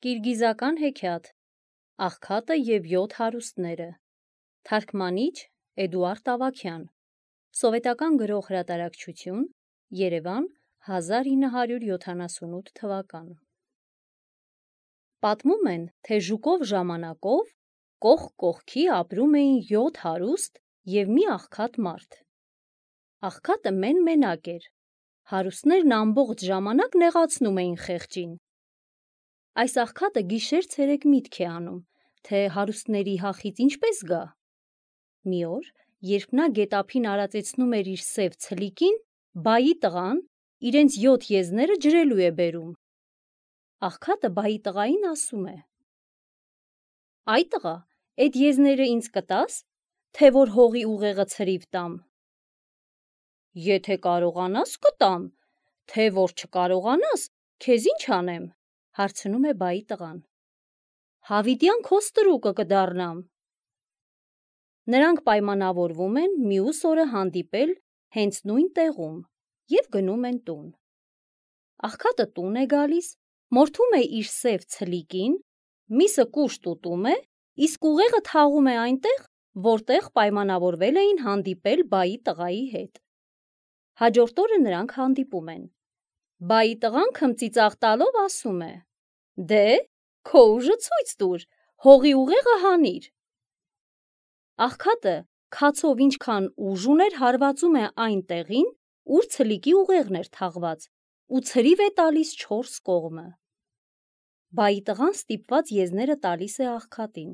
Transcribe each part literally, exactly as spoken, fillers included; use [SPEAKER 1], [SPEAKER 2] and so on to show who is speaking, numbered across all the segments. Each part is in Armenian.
[SPEAKER 1] Կիրգիզական հեքիաթ Աղքատը և յոթ հարուստները Թարգմանիչ Էդուարդ Ավագյան Սովետական գրող հրատարակչություն Երևան հազար ինը հարյուր յոթանասունութ թվական Պատմում են, թե ժուկով ժամանակով կողք կողքի ապրում էին յոթ հարուստ և մի աղքատ մարդ։ Աղքատը մեն-մենակ էր, հարուստներն ամբողջ ժամանակ նեղացնում էին խեղճին։ Այս աղքատը գիշեր-ցերեկ միտք է անում, թե հարուստների հախից ինչպես գա։ Մի օր, երբ նա գետափին արածեցնում էր իր սև ցլիկին, բայի տղան իրենց յոթ եզները ջրելու է բերում։ Աղքատը բայի տղային ասում է. «Այ տղա, էդ եզները ինձ կտա՞ս, թե որ հողի ուղեղը ցրիվ տամ»։ «Եթե կարողանաս կտամ, թե որ չկարողանաս, քեզ ինչ անեմ», հարցնում է բայի տղան։ «Հավիտյան քո ստրուկը կդառնամ»։ Նրանք պայմանավորվում են մյուս օրը հանդիպել հենց նույն տեղում և գնում են տուն։ Աղքատը տուն է գալիս, մորթում է իր սև ցլիկին, միսը կուշտ ուտում է, իսկ ուղեղը թաղում է այնտեղ, որտեղ պայմանավորվել էին հանդիպել բայի տղայի հետ։ Հաջորդ օրը նրանք հանդիպում են։ Բայի տղան քմծիծաղ տալով ասում է. «Դե, քո ուժը ցույց տուր, հողի ուղեղը հանիր»։ Աղքատը քացով ինչքան ուժ ուներ հարվածում է այն տեղին, ուր ցլիկի ուղեղն էր թաղված, ու ցրիվ է տալիս չորս կողմը։ Բայի տղան ստիպված եզները տալիս է աղքատին։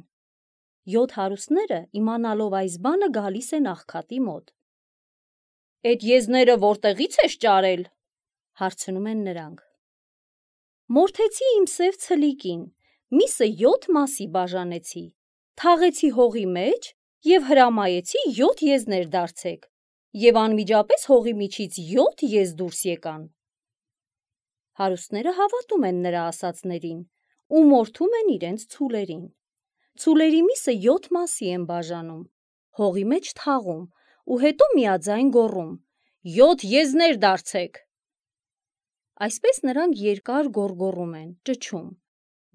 [SPEAKER 1] Յոթ հարուստները իմանալով այս բանը գալիս են աղքատի մոտ։ «Էդ եզները որտեղի՞ց ես ճարել», հարցնում են նրանք։ «Մորթեցի իմ սև ցլիկին, միսը յոթ մասի բաժանեցի, թաղեցի հողի մեջ և հրամայեցի յոթ եզներ դարձեք, և անմիջապես հողի միջից յոթ եզ դուրս եկան»։ Հարուստները հավատում են նրա ասածներին ու մորթում են իրենց ցուլերին։ Ցուլերի միսը յոթ մասի են բաժանում, հողի մեջ թաղում ու հետո միաձայն գոռում. «Յոթ եզներ դարձեք»։ Այսպես նրանք երկար գոռգոռում են, ճչում,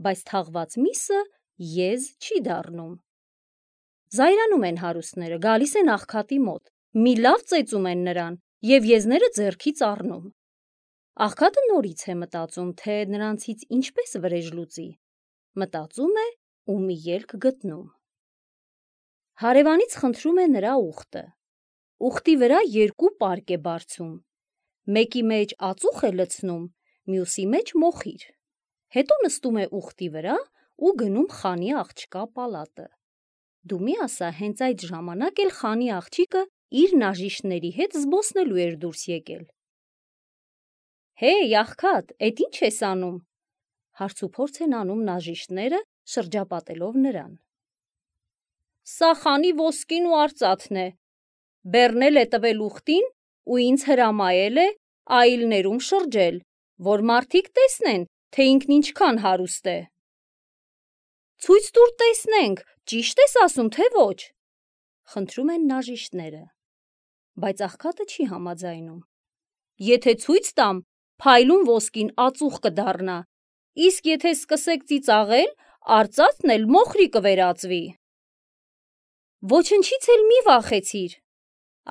[SPEAKER 1] բայց թաղված միսը եզ չի դառնում։ Զայրանում են հարուստները, գալիս են աղքատի մոտ, մի լավ ծեծում են նրան և եզները ձեռքից առնում։ Աղքատը նորից է մտածում, թե նրանցից ինչպես վրեժ լուծի։ Մտածում է ու մի ելք գտնում։ Հարևանից խնդրում է նրա ուղտը։ Ուղտի վրա երկու պարկ է բարձում։ Մեկի մեջ ածուխ է լցնում, մյուսի մեջ մոխիր։ Հետո նստում է ուղտի վրա ու գնում խանի աղջկա պալատը։ Դու մի ասա, հենց այդ ժամանակ էլ խանի աղջիկը իր նաժիշտների հետ զբոսնելու էր դուրս եկել։ «Հեյ, աղքատ, էդ ի՞նչ ես անում», հարցուփորձ են անում նաժիշտները, շրջապատելով նրան։ «Սա խանի ոսկին ու արծաթն է, բեռնել է տվել ուղտին ու ինձ հրամայել է այլներում շրջել, որ մարդիկ տեսնեն, թե ինքն ինչքան հարուստ է»։ «Ցույց տուր տեսնենք, ճի՞շտ ես ասում, թե ոչ», խնդրում են նաժիշտները։ Բայց աղքատը չի համաձայնում։ «Եթե ցույց տամ, փայլուն ոսկին ածուխ կդառնա, իսկ եթե սկսեք ծիծաղել, արծաթն էլ մոխրի կվերածվի»։ «Ոչնչից էլ մի վախեցիր»,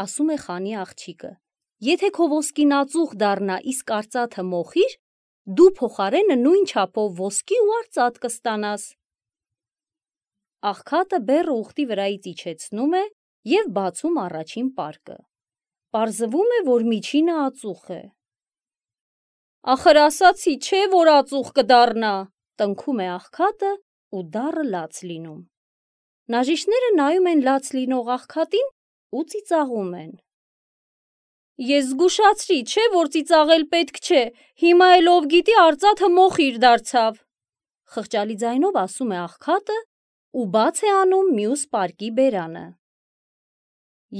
[SPEAKER 1] ասում է խանի աղջիկը։ «Եթե քո ոսկին ածուխ դառնա, իսկ արծաթը մոխիր, դու փոխարենը նույն չափով ոսկի ու արծաթ կստանաս»։ Աղքատը բեռը ուղտի վրայից իջեցնում է և բացում առաջին պարկը։ Պարզվում է, որ միջինը ածուխ է։ «Ախր ասացի, չէ, որ ածուխ կդառնա», տնքում է աղքատը ու դառը լաց լինում։ Նաժիշտները նայում են լաց լինող աղքատին ու ծիծաղում են։ «Ես զգուշացրի, չէ, որ ծիծաղել պետք չէ, հիմա էլ ով գիտի արծաթը մոխիր դարձավ», խղճալի ձայնով ասում է աղքատը ու բաց է անում մյուս պարկի բերանը։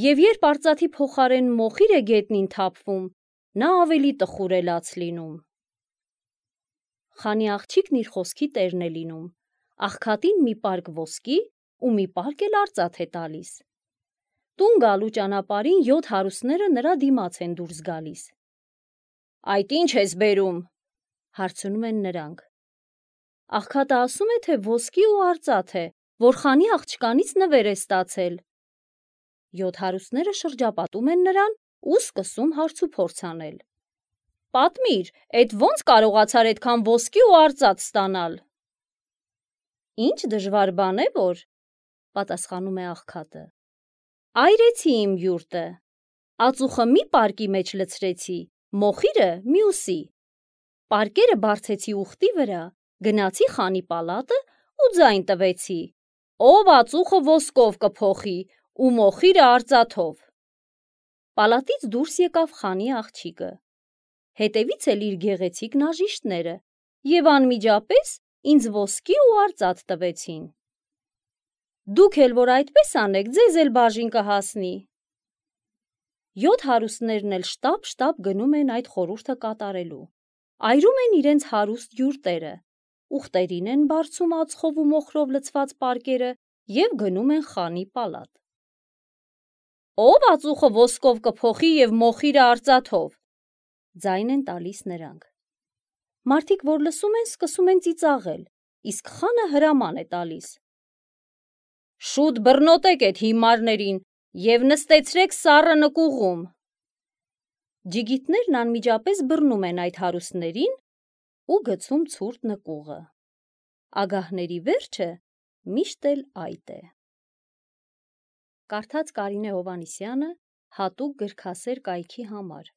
[SPEAKER 1] Եվ երբ արծաթի փոխարեն մոխիր է գետնին թափվում, նա ավելի տխուր է լաց լինում։ Խանի աղջիկն իր խոսքի տերն է լինում, աղքատին մի պարկ ոսկի ու մի պարկ էլ արծաթ է տալիս։ Տուն գալու ճանապարհին յոթ հարուստները նրա դիմաց են դուրս գալիս։ «Այդ ի՞նչ ես բերում», հարցնում են նրանք։ Աղքատը ասում է, թե ոսկի ու արծաթ է, որ խանի աղջկանից նվեր է ստացել։ Յոթ հարուստները շրջապատում են նրան ու սկսում հարցուփորձ անել։ Պատմիր, էդ ո՞նց կարողացար այդքան ոսկի ու արծաթ ստանալ։ Ինչ դժվար բան է, որ, պատասխանում է աղքատը։ Այրեցի իմ յուրտը, ածուխը մի պարկի մեջ լցրեցի, մոխիրը մյուսի։ Պարկերը բարձեցի ուխտի վրա, գնացի խանի պալատը ու ձայն տվեցի, ով ածուխը ոսկով կփոխի ու մոխիրը արծաթով։ Պալատից դուրս եկավ խանի աղջիկը, հետևից էլ իր գեղեցիկ նաժիշտները և անմիջապես ինձ ոսկի ու արծաթ տվեցին։ Դուք էլ որ այդպես անեք, ձեզ էլ բաժին կհասնի։ Յոթ հարուստներն էլ շտապ-շտապ գնում են այդ խորհուրդը կատարելու, այրում են իրենց հարուստ յուրտերը, ուխտերին են բարձում ածխով ու մոխրով լցված պարկերը և գնում են խանի պալատ։ Ով ածուխը ոսկով կփոխի և մոխիրը արծաթով, ձայն են տալիս նրանք։ Մարդիկ, որ լսում են, սկսում են ծիծաղել, իսկ խանը հրաման է տալիս. Շուտ բռնոտեք էդ հիմարներին և նստեցրեք սառը նկուղում։ Ջիգիտներն անմիջապես բռնում են այդ հարուստներին ու գցում ցուրտ նկուղը։ Ագահների վերջը միշտ էլ այդ է։ Կարդաց Կարինե Հովհաննիսյանը հատուկ գրքասեր կայքի համար։